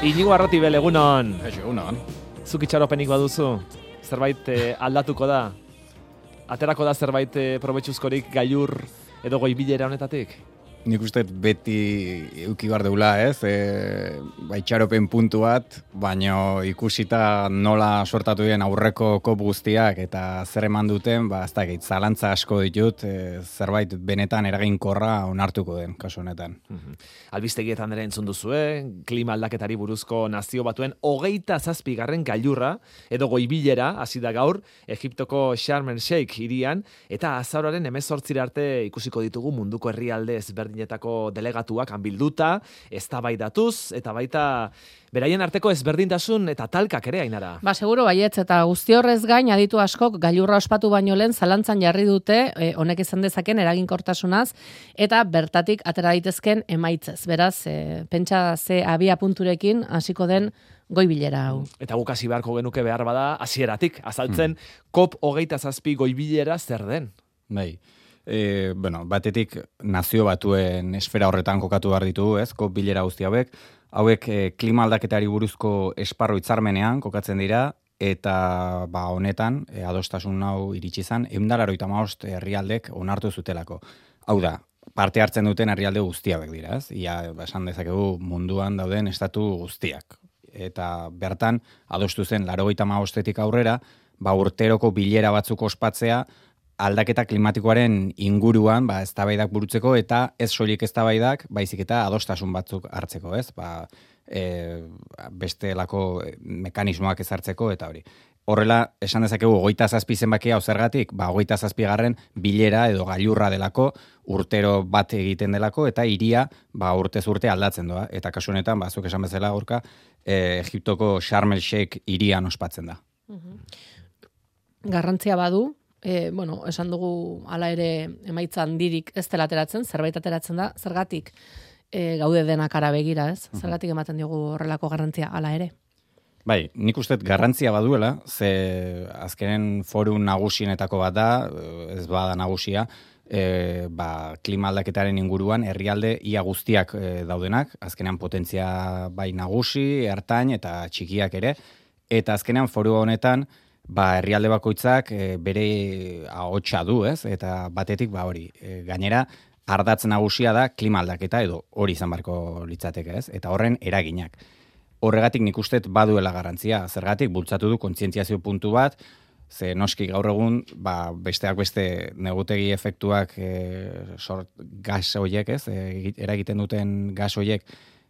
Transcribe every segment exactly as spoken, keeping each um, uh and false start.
Inigo Arratibel, egunon. Eixo, egunon. Zuk itxaropenik baduzu? Zerbait eh, aldatuko da? Aterako da zerbait eh, probetxuzkorik gailur edo goibilera honetatik? Nik uste beti euki bar deula, ez? E, ba, itxaropen puntu bat, baino ikusita nola sortatu den aurreko kop guztiak eta zer eman duten, ba, ez dakit, zalantza asko ditut, e, zerbait benetan eraginkorra onartuko den, kasu honetan. Mm-hmm. Albistegietan ere entzun duzue, klima aldaketari buruzko nazio batuen hogeita zazpigarren gailurra, edo goibilera, hasi da gaur, Egiptoko Sharm el Sheikh hirian, eta azaroaren hemezortzira arte ikusiko ditugu munduko herrialde ezberdinetako delegatuak hanbilduta, eztabaidatuz, eta baita beraien arteko ezberdintasun eta talkak ere, Ainara. Ba, seguro baietz, eta guzti horrez gain aditu askok gailurra ospatu baino lehen zalantzan jarri dute e, honek izan dezaken eraginkortasunaz eta bertatik atera daitezken emaitzez. Beraz, e, pentsa ze abia punturekin hasiko den goibilera hau. Eta guk hasi beharko genuke behar bada hasieratik azaltzen hmm. kop hogeita zazpi goibilera zer den. Bai. E, bueno, batetik nazio batuen esfera horretan kokatu behar ditugu, ez? Kop bilera guzti hauek. Hauek e, klima aldaketari buruzko esparru hitzarmenean kokatzen dira, eta ba honetan e, adostasun hau iritsi izan ehun eta laurogeita hamabost herrialdek onartu zutelako. Hau da, parte hartzen duten herrialde guzti hauek dira, ez? Ia esan dezakegu munduan dauden estatu guztiak. Eta bertan adostu zen laurogeita hamabostetik aurrera, ba urteroko bilera batzuk ospatzea aldaketa klimatikoaren inguruan, ba, eztabaidak burutzeko eta ez soilik eztabaidak, baizik eta adostasun batzuk hartzeko, ez? Ba, e, bestelako mekanismoak ezartzeko eta hori. Horrela, esan dezakegu, hogeita zazpi zenbakia hau zergatik, ba, hogeita zazpigarren bilera edo gailurra delako, urtero bat egiten delako, eta hiria ba, urtez urte aldatzen doa. Eta kasu honetan, ba, zuk esan bezala gorka, e, Egiptoko Sharm el Sheikh hirian ospatzen da. Garrantzia badu, E, bueno, esan dugu hala ere emaitza handirik ez dela ateratzen, zerbait ateratzen da, zergatik e, gaude denak ara begira, ez? Zergatik ematen diogu horrelako garrantzia hala ere? Bai, nik uste garrantzia baduela, ze azkenen foru nagusienetako bat da, ez bada nagusia, e, ba, klima aldaketaren inguruan herrialde ia guztiak e, daudenak, azkenean potentzia bai nagusi, ertain eta txikiak ere, eta azkenean foru honetan ba, herrialde bakoitzak e, bere ahotsa du, ez? Eta batetik, ba hori, e, gainera, ardatz nagusia da klima aldaketa edo hori izan barko litzateke, ez? Eta horren eraginak. Horregatik nik uste baduela garrantzia, zergatik bultzatu du kontzientziazio puntu bat, ze noski gaur egun, ba, besteak beste negutegi efektuak e, sort gas hoiek, ez? E, eragiten duten gas hoiek,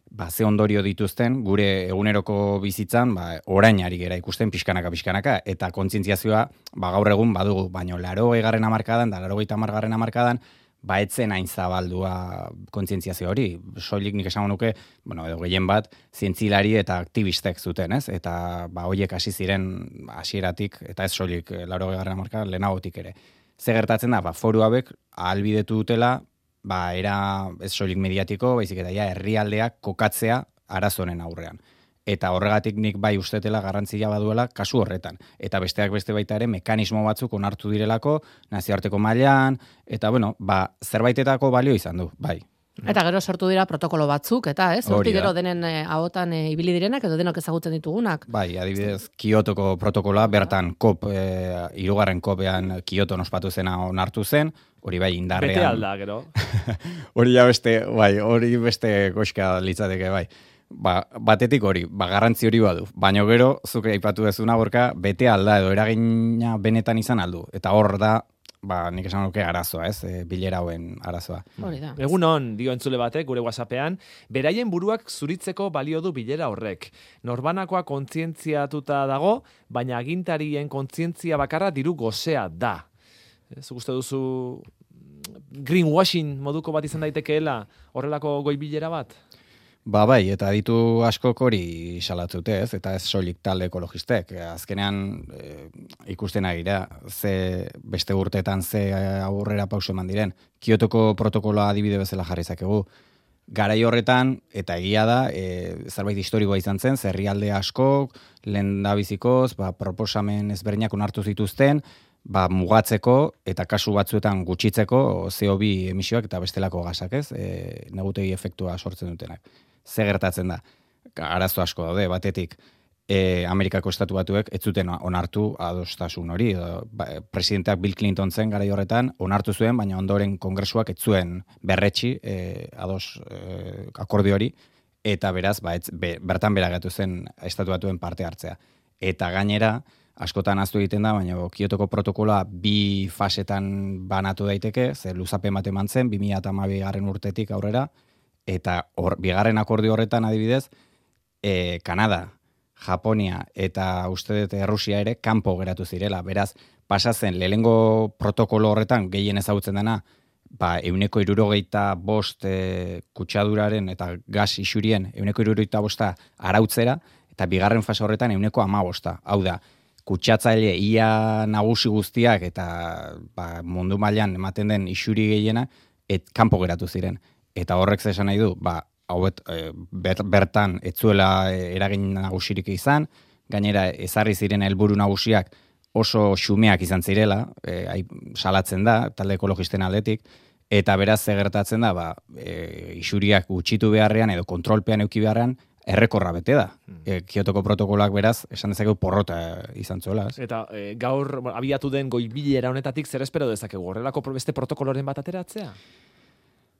ba, ze ondorio dituzten, gure eguneroko bizitzan, ba, orain ari gera ikusten pixkanaka pixkanaka, eta kontzientziazioa ba, gaur egun badugu, baino larogei garren hamarkadan, da larogeita hamar garren hamarkadan, ba, etzen hain zabaldua kontzientziazio hori. Soilik nik esango nuke, bueno, edo gehien bat, zientzilari eta aktivistek zuten, ez? Eta ba, hoiek hasi ziren hasieratik, eta ez soilik laurogei garren hamarkadan, lehenagotik ere. Ze gertatzen da, ba, foru hauek ahalbidetu dutela, ba, era ez soilik mediatiko, baizik eta ja herrialdeak kokatzea arazonen aurrean. Eta horregatik nik bai ustetela garrantzia baduela kasu horretan. Eta besteak beste baita ere mekanismo batzuk onartu direlako, nazioarteko mailan, eta bueno, ba, zerbaitetako balio izan du, bai. Eta gero sortu dira protokolo batzuk, eta ez? Hortik gero denen e, ahotan e, ibili direnak edo denok ezagutzen ditugunak. Bai, adibidez, Kiotoko protokoloa, bertan kop, e, hirugarren kopean Kioton ospatu zena onartu zen, hori bai indarrean. Bete alda, gero. Hori ja beste, bai, hori beste koska litzateke, bai. Ba, batetik hori, ba, garrantzi hori badu. Baina gero, zuke aipatu dezuna gorka, bete alda edo eragina benetan izan aldu. Eta hor da, ba, nik esan nuke arazoa, ez? E, bilera hauen arazoa. Hori da. Egun on, dio entzule batek, gure WhatsAppean, beraien buruak zuritzeko balio du bilera horrek. Norbanakoa kontzientziatuta dago, baina agintarien kontzientzia bakarra diru gozea da. Zuk uste duzu greenwashing moduko bat izan daitekeela horrelako goi bilera bat? Ba bai, eta ditu askok hori salatzute, ez? Eta ez soilik talde ekologistek. Azkenean e, ikusten agira, ze beste urteetan ze aurrera pauso eman diren. Kiotoko protokoloa adibide bezala jarri zakegu. Garai horretan, eta egia da, e, zerbait historikoa izan zen, herrialde askok, lehendabizikoz, ba, proposamen ezberdinak onartu zituzten, ba, mugatzeko eta kasu batzuetan gutxitzeko C O bi emisioak eta bestelako gasak, ez? E, negutegi efektua sortzen dutenak. Ze gertatzen da? arazo asko daude, batetik, e, Amerikako estatu batuek ez zuten onartu adostasun hori. Ba, presidenteak Bill Clinton zen garai horretan, onartu zuen, baina ondoren kongresuak ez zuen berretsi e, ados e, akordio hori, eta beraz, ba, ez, be, bertan beragatu zen estatu batuen parte hartzea. Eta gainera, askotan aztu egiten da, baina Kiotoko protokoloa bi fasetan banatu daiteke, ze luzapen bat eman zen, bi mila hamabi garren urtetik aurrera, eta or, bigarren akordio horretan adibidez, e, Kanada, Japonia eta uste dut Errusia ere kanpo geratu zirela. Beraz, pasa zen lehengo protokolo horretan gehien ezagutzen dena, ba, euneko irurogeita bost e, kutsaduraren eta gas isurien euneko irurogeita bosta arautzera, eta bigarren fase horretan euneko amabosta. Hau da, kutsatzaile ia nagusi guztiak eta ba, mundu mailan ematen den isuri gehiena, et kanpo geratu ziren. Eta horrek esan nahi du, ba, hauet, e, ber, bertan etzuela eragin nagusirik izan, gainera ezarri ziren helburu nagusiak oso xumeak izan zirela, e, salatzen da, talde ekologisten aldetik, eta beraz ze gertatzen da, ba, e, isuriak gutxitu beharrean edo kontrolpean euki beharrean, errekorra bete da. E, Kiotoko protokoloak beraz, esan dezakegu porrota izan zuela. Eta e, gaur bueno, abiatu den goibilera honetatik zer espero dezakegu? Horrelako beste protokoloren bat ateratzea?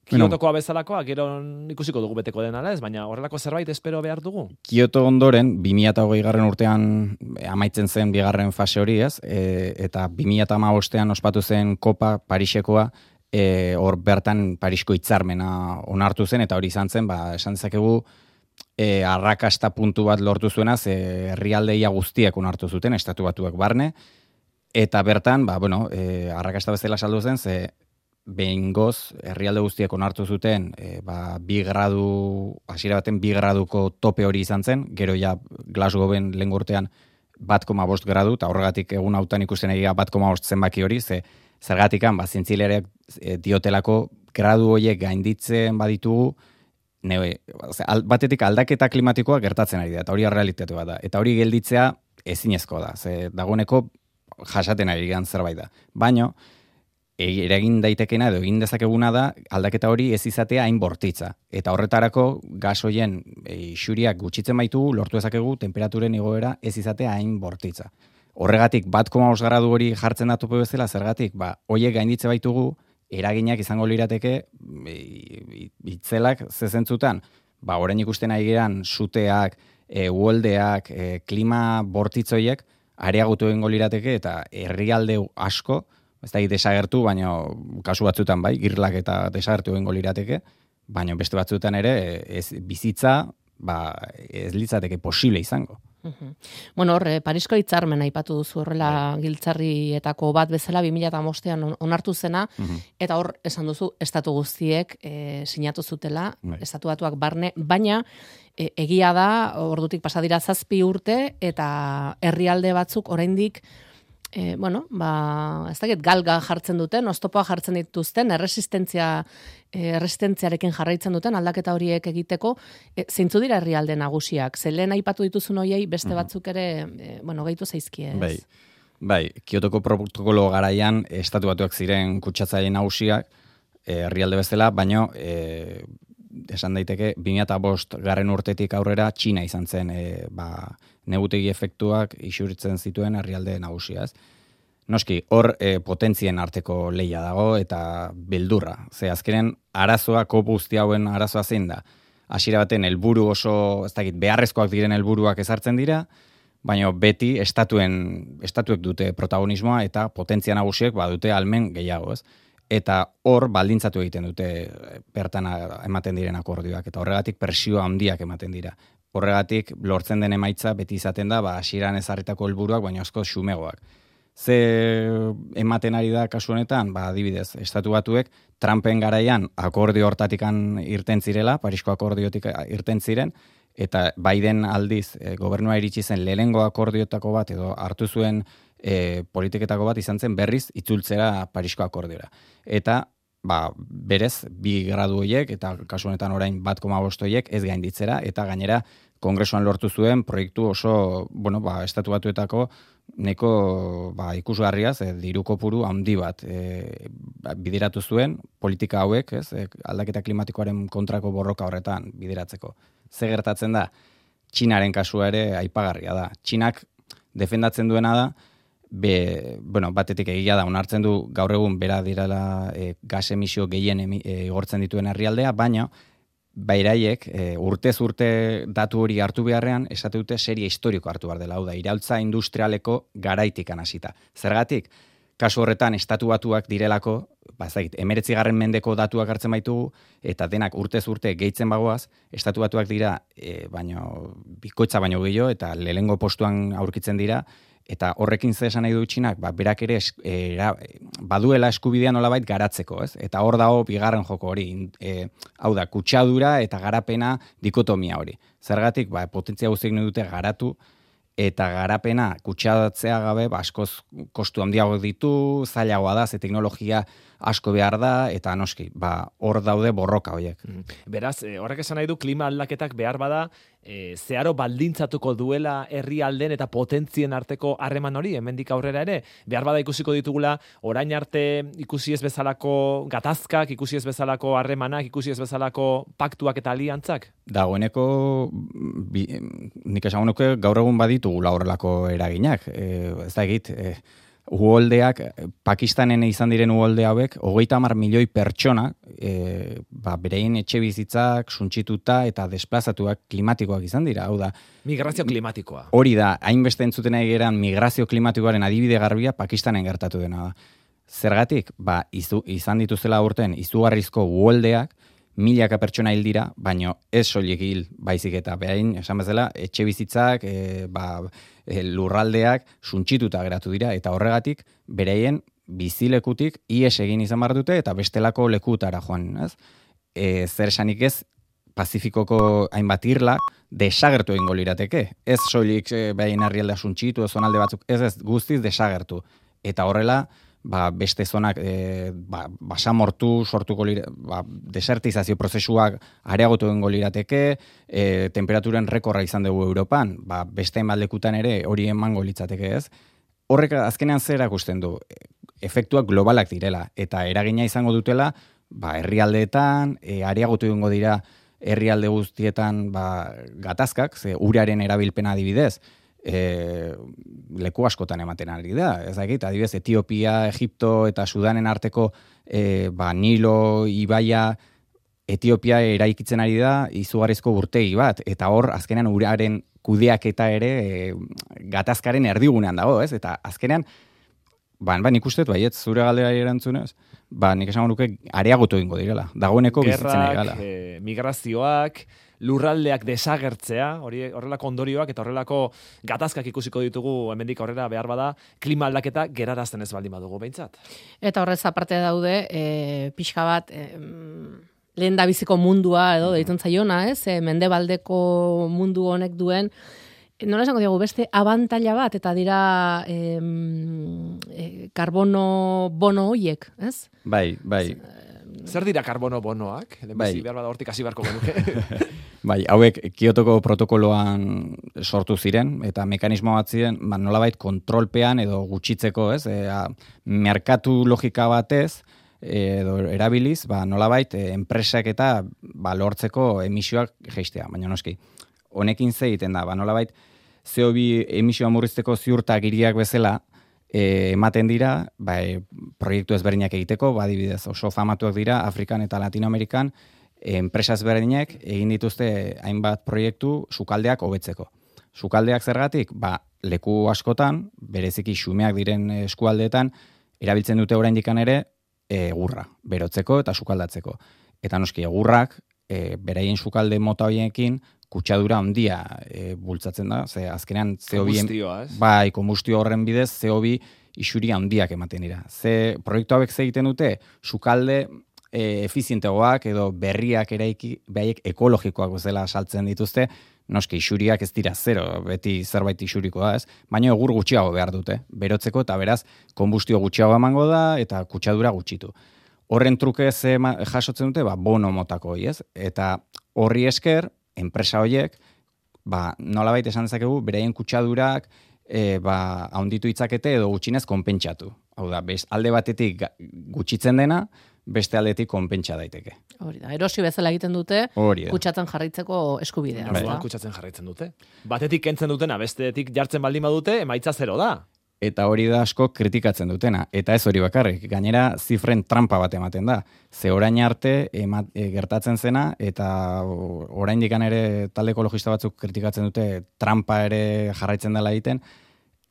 Kiotokoa bezalakoa, gero ikusiko dugu beteko den ala ez, baina horrelako zerbait espero behar dugu? Kioto ondoren, bi mila hogei garren urtean amaitzen zen bigarren fase hori ez, e, eta bi mila hamabostean ospatu zen Kopa Parisekoa, e, hor bertan Parisko hitzarmena onartu zen, eta hori izan zen, ba, esan dezakegu, e, arrakasta puntu bat lortu zuena, ze herrialdeia guztiek onartu zuten, estatu batuak barne, eta bertan, ba, bueno, e, arrakasta bezala saldu zen, ze behingoz, herrialde guztiek onartu zuten, e, ba, bi gradu, hasiera baten bi graduko tope hori izan zen, gero ja Glasgowen lehen urtean bat koma bost gradu, eta horregatik egun hautan ikusten egia bat koma bost zenbaki hori, ze zergatikan, ba, zientzilereak e, diotelako gradu horiek gainditzen baditugu, ne, al, batetik aldaketa klimatikoa gertatzen ari da, eta hori realitate bat da, eta hori gelditzea ezinezko da, ze dagoeneko jasaten ari gian zerbait da, baino, eragin daitekena edo egin dezakeguna da aldaketa hori ez izatea hain bortitza. Eta horretarako gas hoien isuriak gutxitzen baitugu, lortu dezakegu temperaturen igoera ez izatea hain bortitza. Horregatik bat koma bost gradu hori jartzen da tope bezala, zergatik, ba, hoiek gainditze baitugu, eraginak izango lirateke itzelak zezentzutan, ba, orain ikusten ari geran suteak, e, uholdeak, e, klima bortitzoiek, areagotu egingo lirateke eta herrialde asko, ez da desagertu, baina kasu batzutan bai, girlak eta desagertu egingo lirateke, baina beste batzutan ere ez bizitza ba, ez litzateke posible izango. Uh-huh. Bueno, hor, Parisko hitzarmena aipatu duzu horrela yeah. giltzarrietako bat bezala bi mila hamabostean onartu zena, uh-huh. eta hor esan duzu estatu guztiek e, sinatu zutela, yeah. estatu batuak barne, baina e, egia da, ordutik pasa dira zazpi urte, eta herrialde batzuk oraindik E, bueno, ba, ez dakit galga jartzen duten, oztopoa jartzen dituzten, erresistentzia, erresistentziarekin jarraitzen duten aldaketa horiek egiteko, e, zeintzu dira herrialde nagusiak? Ze lehen aipatu dituzun hoiei beste batzuk ere, e, bueno, gehitu zaizkie, ez? Bai, bai, Kiotoko protokolo garaian estatu batuak ziren kutsatzaile nagusiak, herrialde bezala, baino e, esan daiteke bi mila bost garren urtetik aurrera Txina izan zen e, ba, negutegi efektuak isuritzen zituen herrialde nagusia, ez? Noski, hor e, potentzien arteko leia dago eta beldurra. Ze azkenen arazoa, kopu guzti hauen arazoa zein da. Hasiera baten helburu oso, ez dakit, beharrezkoak diren helburuak ezartzen dira, baina beti estatuen, estatuek dute protagonismoa eta potentzia nagusiek badute almen gehiago, ez? Eta hor baldintzatu egiten dute bertan ematen diren akordioak, eta horregatik presioa handiak ematen dira. Horregatik lortzen den emaitza beti izaten da, ba, hasieran ezarritako helburuak, baina asko xumegoak. Ze ematen ari da kasu honetan, ba, adibidez, estatu batuek Trumpen garaian akordio hortatikan irten zirela, Parisko akordiotik irten ziren, eta Biden aldiz e, gobernua iritsi zen lehenengo akordiotako bat edo hartu zuen e, politiketako bat izan zen berriz itzultzera Parisko akordiora. Eta ba, berez, bi gradu horiek, eta kasu honetan orain bat koma bost horiek ez gainditzera, eta gainera Kongresuan lortu zuen proiektu oso, bueno, ba, estatu batuetako neko ba, ikusgarriaz, e, diru kopuru handi bat e, bideratu zuen politika hauek, ez, e, aldaketa klimatikoaren kontrako borroka horretan bideratzeko. Ze gertatzen da? Txinaren kasua ere aipagarria da. Txinak defendatzen duena da, be, bueno, batetik egia da, onartzen du gaur egun bera direla e, gas emisio gehien emi, e, igortzen dituen herrialdea, baina bairaiek e, urtez urte datu hori hartu beharrean, esate dute serie historiko hartu behar dela, hau da, iraultza industrialeko garaitikan hasita. Zergatik, kasu horretan estatu batuak direlako, ba, zait, emeretzigarren mendeko datuak hartzen baitugu, eta denak urtez urte gehitzen bagoaz, estatu batuak dira, e, baino, bikoitza baino gehiago, eta lehengo postuan aurkitzen dira, eta horrekin ze esan nahi du Txinak, ba, berak ere es, era, baduela eskubidea nolabait garatzeko, ez? Eta hor dago bigarren joko hori, e, hau da, kutsadura eta garapena dikotomia hori. Zergatik, ba, potentzia guztiek nahi dute garatu, eta garapena kutsadatzea gabe, ba, askoz kostu handiago ditu, zailagoa da, ze teknologia asko behar da, eta noski, ba, hor daude borroka horiek. Beraz, horrek esan nahi du, klima aldaketak behar bada, e, zeharo baldintzatuko duela herrialden eta potentzien arteko harreman hori, hemendik aurrera ere, behar bada ikusiko ditugula, orain arte ikusi ez bezalako gatazkak, ikusi ez bezalako harremanak, ikusi ez bezalako paktuak eta aliantzak? Dagoeneko, bi, nik esan nuke gaur egun baditugula horrelako eraginak. E, ez da egit, e, uholdeak, Pakistanen izan diren uholde hauek, hogeita hamar milioi pertsona, e, ba, berein etxe bizitzak, suntsituta eta desplazatuak klimatikoak izan dira, hau da. Migrazio klimatikoa. Hori da, hainbeste entzuten nahi geran migrazio klimatikoaren adibide garbia Pakistanen gertatu dena da. Zergatik, ba, izu, izan dituzela urten, izugarrizko uholdeak, milaka pertsona hil dira, baino ez soilik hil baizik eta behain, esan bezala, etxe bizitzak, e, ba, e, lurraldeak suntsituta geratu dira, eta horregatik bereien bizilekutik ies egin izan behar dute, eta bestelako lekutara joan, ez? E, zer esanik ez, Pazifikoko hainbat irla desagertu egingo lirateke. Ez soilik e, behain herrialdea suntsitu, zonalde batzuk, ez ez guztiz desagertu. Eta horrela, ba, beste zonak e, ba, basamortu sortuko lira, ba, desertizazio prozesuak areagotu egingo lirateke, e, temperaturen rekorra izan dugu Europan, ba, beste lekutan ere hori emango litzateke, ez? Horrek azkenean zer erakusten du, efektuak globalak direla, eta eragina izango dutela, ba, herrialdeetan, e, areagotu egingo dira herrialde guztietan ba, gatazkak, ze uraren erabilpena adibidez, E, leku askotan ematen ari da. Ez dakit, adibidez, Etiopia, Egipto eta Sudanen arteko e, ba, Nilo, Ibaia, Etiopia eraikitzen ari da izugarrizko urtegi bat, eta hor azkenean uraren kudeaketa ere e, gatazkaren erdigunean dago, ez? Eta azkenean, ba, ba nik uste, baiet, zure galdera erantzunez, ba, nik esango nuke areagotu egingo direla. Dagoeneko bizitzen ari gala. E, migrazioak, lurraldeak desagertzea, hori horrelako ondorioak eta horrelako gatazkak ikusiko ditugu hemendik aurrera behar bada, klima aldaketa gerarazten ez baldin badugu behintzat. Eta horrez aparte daude, e, pixka bat, e, lehen da biziko mundua edo deitzen zaiona, ez? E, mendebaldeko mundu honek duen, nola esango diegu, beste abantaila bat, eta dira e, e, karbono bono hoiek, ez? Bai, bai. Zer dira karbono bonoak? Bai. Behar bada hortik hasi beharko genuke. Bai, hauek Kiotoko protokoloan sortu ziren, eta mekanismo bat ziren, ba, nolabait kontrolpean edo gutxitzeko, ez? E, a, merkatu logika batez, edo erabiliz, ba, nolabait e, enpresak eta ba, lortzeko emisioak jeistea, baina noski. Honekin ze egiten da, ba, nolabait C O bi emisioa murrizteko ziurtak hiriak bezala, E, ematen dira, ba, e, proiektu ezberdinak egiteko, ba, adibidez, oso famatuak dira Afrikan eta Latinoamerikan, e, enpresa ezberdinak egin dituzte hainbat proiektu sukaldeak hobetzeko. Sukaldeak zergatik, ba, leku askotan, bereziki xumeak diren eskualdeetan, erabiltzen dute oraindikan ere egurra, berotzeko eta sukaldatzeko. Eta noski egurrak, e, beraien sukalde mota horiekin, kutsadura handia e, bultzatzen da, ze azkenean C O bi bai, kombustio horren bidez C O bi isuri handiak ematen dira. Ze proiektu hauek ze egiten dute, sukalde e, efizientegoak edo berriak eraiki, behaiek ekologikoak bezala saltzen dituzte, noski isuriak ez dira zero, beti zerbait isurikoa, ez? Baina egur gutxiago behar dute, berotzeko eta beraz kombustio gutxiago emango da eta kutsadura gutxitu. Horren truke ze jasotzen dute, ba, bono motako, ez? Eta horri esker, enpresa horiek, ba, nolabait esan dezakegu, beraien kutsadurak e, ba, haunditu itzakete edo gutxinez konpentsatu. Hau da, bez, alde batetik gutxitzen dena, beste aldetik konpentsa daiteke. Hori da, erosi bezala egiten dute, kutsatzen jarraitzeko eskubidea. Bai. Kutsatzen jarraitzen dute. Batetik kentzen dutena, bestetik jartzen baldin badute, emaitza zero da. Eta hori da asko kritikatzen dutena. Eta ez hori bakarrik. Gainera, zifren trampa bat ematen da. Ze orain arte emat, e, gertatzen zena, eta oraindik ere talde ekologista batzuk kritikatzen dute trampa ere jarraitzen dela egiten.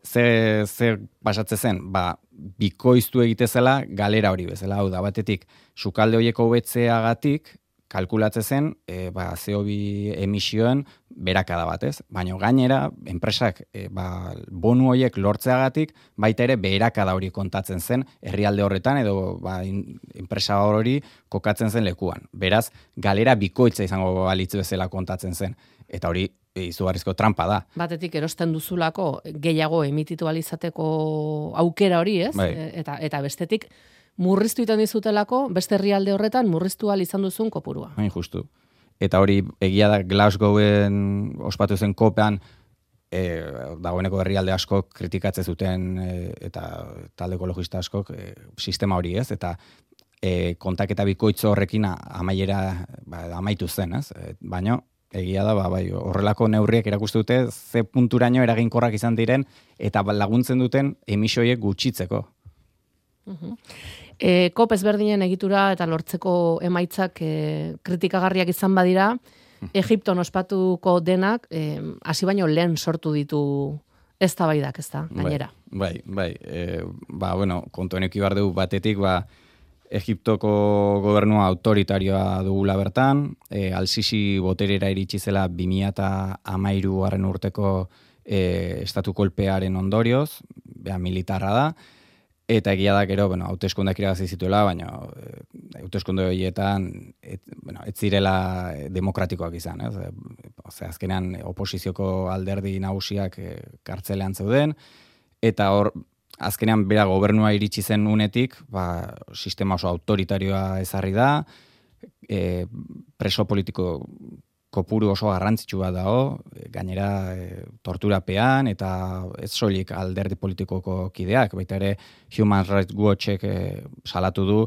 Ze, ze pasatzen zen? Ba, bikoiztu egite zela galera hori bezala. Hau da, batetik, sukalde horieko hobetzeagatik, kalkulatzen zen, e, ba, C O bi emisioen berakada bat, ez? Baina gainera, enpresak e, ba, bonu horiek lortzeagatik, baita ere berakada hori kontatzen zen herrialde horretan, edo ba, in, enpresa hori kokatzen zen lekuan. Beraz, galera bikoitza izango balitz bezala kontatzen zen. Eta hori izugarrizko trampa da. Batetik erosten duzulako gehiago emititu alizateko aukera hori, ez? Bai. Eta, eta bestetik, murriztu iten dizutelako, beste herrialde horretan murriztu ahal izan duzun kopurua. Hain justu. Eta hori egia da Glasgowen ospatu zen kopean, e, dagoeneko herrialde askok kritikatzen zuten e, eta talde ekologista askok e, sistema hori, ez? Eta e, kontaketa bikoitzo horrekin amaiera ba, amaitu zen, ez? E, baina egia da, ba, bai, horrelako neurriek erakuste dute ze punturaino eraginkorrak izan diren eta laguntzen duten emisioiek gutxitzeko. Uh-huh. E, kop ezberdinen egitura eta lortzeko emaitzak e, kritikagarriak izan badira, Egipton ospatuko denak hasi baino lehen sortu ditu eztabaidak, ez da, gainera. Bai, bai, bai. E, ba, bueno, kontu honek ibar dugu batetik, ba, Egiptoko gobernua autoritarioa dugula bertan, e, Al-Sisi boterera iritsi zela bi mila hamairugarren urteko e, estatu kolpearen ondorioz, bea militarra da, eta egia da gero, bueno, hauteskundeak irabazi zituela, baina e, hauteskunde horietan et, bueno, ez zirela demokratikoak izan, ez? Ose, azkenean oposizioko alderdi nagusiak e, kartzelean zeuden, eta hor azkenean bera gobernua iritsi zen unetik, ba, sistema oso autoritarioa ezarri da, e, preso politiko kopuru oso garrantzitsu bat dago, gainera e, torturapean eta ez soilik alderdi politikoko kideak, baita ere Human Rights Watchek e, salatu du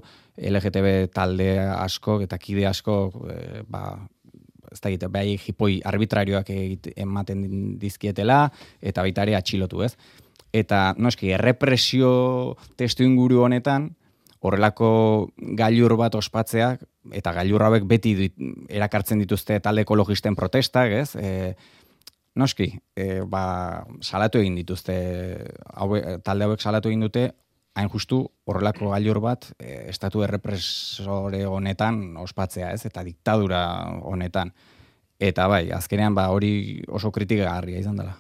L G T B talde asko eta kide asko e, ba, ez da egite, behai jipoi arbitrarioak egite, ematen dizkietela eta baita ere atxilotu, ez? Eta, noski, errepresio testu inguru honetan, horrelako gailur bat ospatzeak, eta gailur hauek beti dit, erakartzen dituzte talde ekologisten protestak, ez? E, noski, e, ba, salatu egin dituzte, haue, talde hauek salatu egin dute, hain justu horrelako gailur bat, e, estatu errepresore honetan ospatzea, ez? Eta diktadura honetan. Eta bai, azkenean ba hori oso kritikagarria izan dela.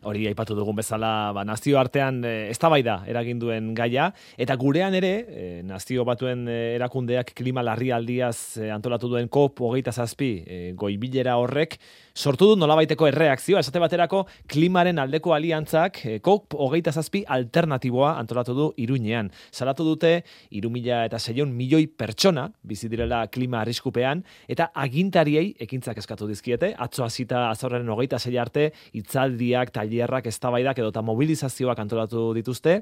Hori aipatu dugun bezala, ba, nazio artean e, eztabaida eragin duen gaia, eta gurean ere, e, nazio batuen e, erakundeak klima larrialdiaz e, antolatu duen COP hogeita zazpi e, goibilera horrek, sortu du nolabaiteko erreakzioa, esate baterako klimaren aldeko aliantzak e, COP hogeita zazpi alternatiboa antolatu du Iruñean. Salatu dute hiru mila seiehun milioi pertsona bizi direla klima arriskupean, eta agintariei ekintzak eskatu dizkiete, atzo hasita azorren hogeita sei arte, hitzaldiak, tailerrak, eztabaidak edota mobilizazioak antolatu dituzte,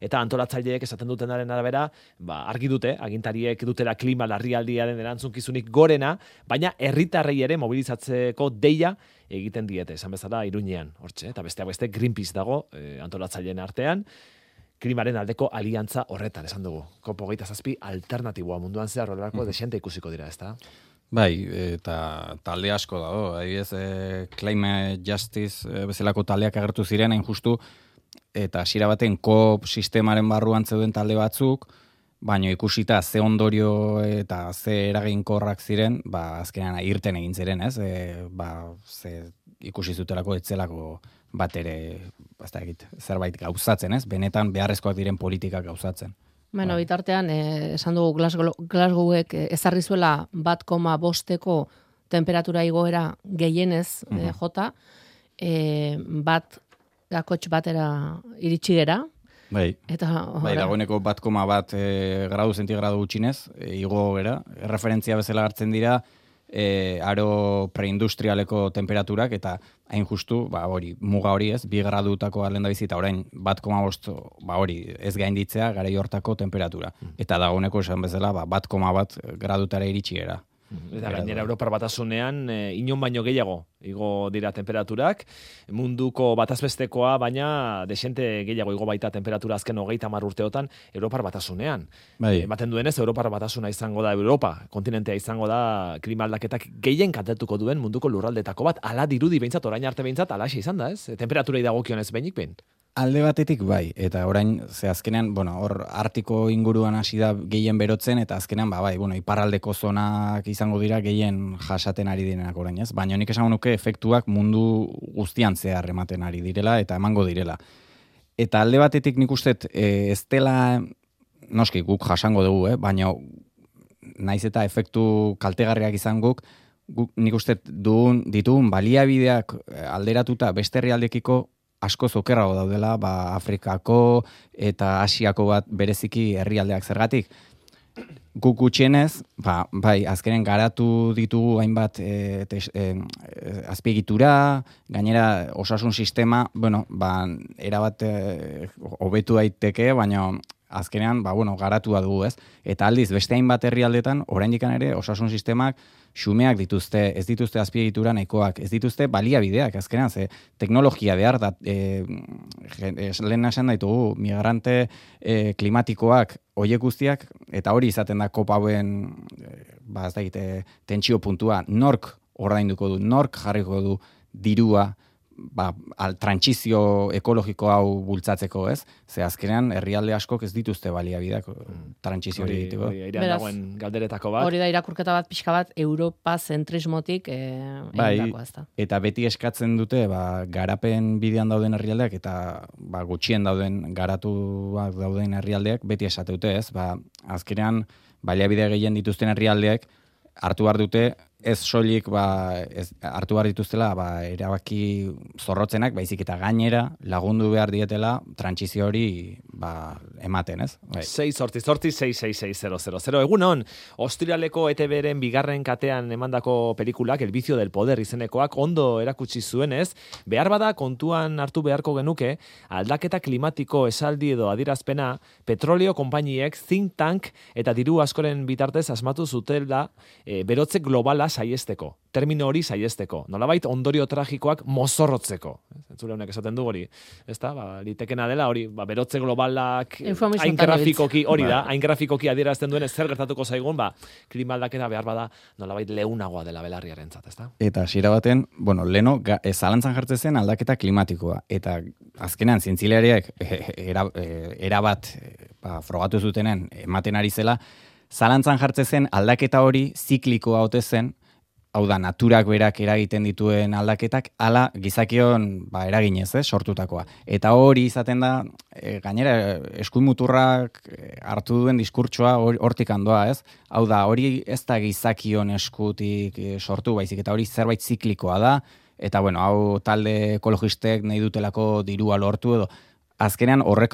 eta antolatzaileek esaten dutenaren arabera, ba, argi dute, agintariek dutela klima larrialdiaren erantzunkizunik gorena, baina herritarrei ere mobilizatzeko deia egiten diete, esan bezala Iruñean, hortxe, eta besteak beste Greenpeace dago e, antolatzaileen artean, klimaren aldeko aliantza horretan, esan dugu. COP hogeita zazpi alternatiboa munduan zehar horrelako mm. desente ikusiko dira, ezta? Bai, eta talde asko dago, adibidez, e, Climate Justice e, bezalako taldeak agertu ziren, hain justu, eta hasiera baten COP sistemaren barruan zeuden talde batzuk, baina ikusita ze ondorio eta ze eraginkorrak ziren, ba, azkenean irten egin ziren, ez? E, ba, ze ikusi zutelako etzelako bat ere, ez da egit, zerbait gauzatzen, ez? Benetan beharrezkoak diren politikak gauzatzen. Bueno, bitartean, eh, esan dugu Glasgow, Glasgowek ezarri zuela bat koma bosteko temperatura igoera gehienez uh-huh. eh, jota, eh, bat gakotx batera iritsi gera. Bai, eta, bai dagoeneko bat koma bat e, gradu zentigradu gutxinez, e, igo gera. Referentzia bezala hartzen dira, e, aro preindustrialeko temperaturak, eta hain justu, ba, hori, muga hori ez, bi gradutako alden da bizita, orain, bat koma bost, ba, hori, ez gainditzea, garai hortako temperatura. Eta dagoeneko esan bezala, ba, bat koma bat gradutara iritsiera. Eta gainera Europar Batasunean e, inon baino gehiago igo dira temperaturak, munduko batazbestekoa baina desente gehiago igo baita temperatura azken hogeita hamar urteotan Europar Batasunean. Bai. Ematen duenez Europar Batasuna izango da Europa, kontinentea izango da klima aldaketak gehien kaltetuko duen munduko lurraldetako bat, ala dirudi behintzat, orain arte behintzat, alaxe izan da, ez? Temperaturei dagokionez behinik behin. Alde batetik bai, eta orain, ze azkenean, bueno, hor artiko inguruan hasi da gehien berotzen, eta azkenean, ba, bai, bueno, iparraldeko zonak izango dira gehien jasaten ari direnak orain, ez? Baina nik esango nuke efektuak mundu guztian zehar ematen ari direla, eta emango direla. Eta alde batetik nik uste, e, ez dela, noski, guk jasango dugu, eh? Baina naiz eta efektu kaltegarriak izan guk, guk nik uste dugun, ditugun baliabideak alderatuta beste herrialdekiko asko zokerrago daudela, ba, Afrikako eta Asiako bat bereziki herrialdeak zergatik. Guk gutxienez, ba, bai, azkenen garatu ditugu hainbat e, te, e, azpiegitura, gainera osasun sistema, bueno, ba, erabat e, hobetu daiteke, baina azkenean, ba, bueno, garatua dugu, ez? Eta aldiz, beste hainbat herrialdetan, oraindikan ere, osasun sistemak xumeak dituzte, ez dituzte azpiegitura nahikoak, ez dituzte baliabideak, azkenean, ze teknologia behar da, e, lehen esan daitugu, migrante e, klimatikoak, hoiek guztiak, eta hori izaten da kopauen, e, ba, ez da egite, tentsio puntua, nork ordainduko du, nork jarriko du dirua, ba, al trantsizio ekologiko hau bultzatzeko, ez? Ze azkenean herrialde askok ez dituzte baliabideak trantsizio hori egiteko. Hori airean dagoen galderetako bat. Hori da irakurketa bat pixka bat Europa zentrismotik eh, bai, egindako, ezta. Eta beti eskatzen dute, ba, garapen bidean dauden herrialdeak eta ba, gutxien dauden garatuak dauden herrialdeak beti esate dute, ez? Ba, azkenean baliabide gehien dituzten herrialdeak hartu behar dute ez soilik ba, ez, hartu behar dituztela ba, erabaki zorrotzenak, baizik eta gainera lagundu behar dietela trantsizio hori ba, ematen, ez? Bai. sei sortzi sortzi sei sei sei zero zero zero. Egun hon, Ostiraleko E T B-ren bigarren katean emandako pelikulak, El vicio del poder izenekoak, ondo erakutsi zuenez, behar bada kontuan hartu beharko genuke, aldaketa klimatiko esaldi edo adirazpena, petrolio konpainiek, think tank eta diru askoren bitartez asmatu zutela e, berotze globala saiesteko, termino hori saiesteko, nolabait ondorio tragikoak mozorrotzeko. Entzule honek esaten du hori, ezta? Ba, litekena dela hori, ba, berotze globalak hain grafikoki hori da, hain grafikoki adierazten duen zer gertatuko zaigun, ba, klima aldaketa behar bada nolabait leunagoa dela belarriarentzat, ezta? Eta hasiera baten, bueno, leno zalantzan jartzen zen aldaketa klimatikoa, eta azkenean zientzialariak era, erabat ba, frogatu zutenen ematen ari zela, zalantzan jartzen zen aldaketa hori ziklikoa ote zen, hau da, naturak berak eragiten dituen aldaketak, ala gizakion ba, eraginez, eh, sortutakoa. Eta hori izaten da, e, gainera, eskuimuturrak hartu duen diskurtsoa hortik handoa, ez? Hau da, hori ez da gizakion eskutik e, sortu, baizik, eta hori zerbait ziklikoa da, eta bueno, hau talde ekologistek nahi dutelako dirua lortu edo, azkenean horrek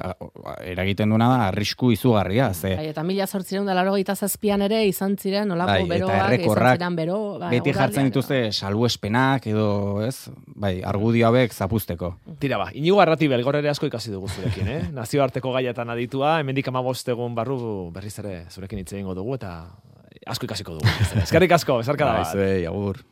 eragiten duena da arrisku izugarria. Ze... Bai, eta mila zortzireun da laurogeita zazpian ere izan ziren olako bai, beroak, izan ziren bero. Bai, beti jartzen dituzte salbuespenak edo, ez? Bai, argudio hauek zapuzteko. Tira ba, Inigo Arratibel gaur ere asko ikasi dugu zurekin, eh? Nazioarteko gaietan aditua, hemendik hamabost egun barru berriz ere zurekin hitz egingo dugu eta asko ikasiko dugu. Eskerrik asko, besarka da bat. Bai, zuei, agur.